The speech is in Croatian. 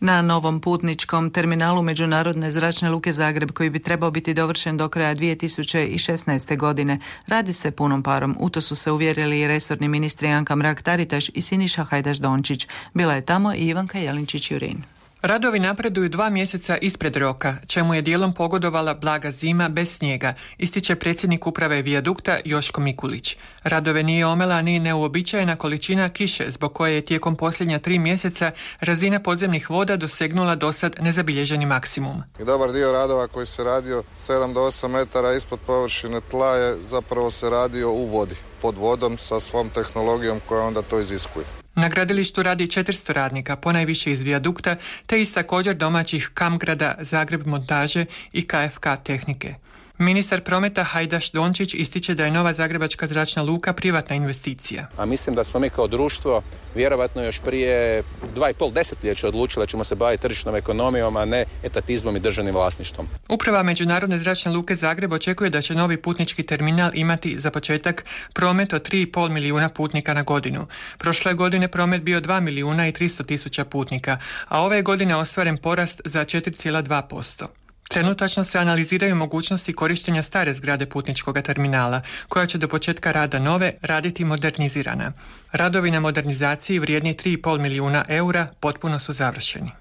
Na novom putničkom terminalu Međunarodne zračne luke Zagreb, koji bi trebao biti dovršen do kraja 2016. godine, radi se punom parom. U to su se uvjerili i resorni ministri Anka Mrak-Taritaš i Siniša Hajdaš-Dončić. Bila je tamo i Ivanka Jelinčić-Jurin. Radovi napreduju 2 mjeseca ispred roka, čemu je dijelom pogodovala blaga zima bez snijega, ističe predsjednik uprave Vijadukta Joško Mikulić. Radove nije omela ni neuobičajena količina kiše, zbog koje je tijekom posljednja 3 mjeseca razina podzemnih voda dosegnula dosad nezabilježeni maksimum. I dobar dio radova koji se radio 7 do 8 metara ispod površine tla je zapravo se radio u vodi, pod vodom sa svom tehnologijom koja onda to iziskuje. Na gradilištu radi 400 radnika, ponajviše iz Vijadukta, te iz također domaćih Kamgrada, Zagreb montaže i KFK tehnike. Ministar prometa Hajdaš-Dončić ističe da je nova zagrebačka zračna luka privatna investicija. A mislim da smo mi kao društvo vjerovatno još prije 2,5 desetljeća odlučili da ćemo se baviti tržišnom ekonomijom, a ne etatizmom i državnim vlasništvom. Uprava Međunarodne zračne luke Zagreb očekuje da će novi putnički terminal imati za početak promet od 3,5 milijuna putnika na godinu. Prošle godine promet bio 2 milijuna i 300 tisuća putnika, a ove godine ostvaren porast za 4,2%. Trenutačno se analiziraju mogućnosti korištenja stare zgrade putničkog terminala, koja će do početka rada nove raditi modernizirana. Radovi na modernizaciji vrijedni 3,5 milijuna eura potpuno su završeni.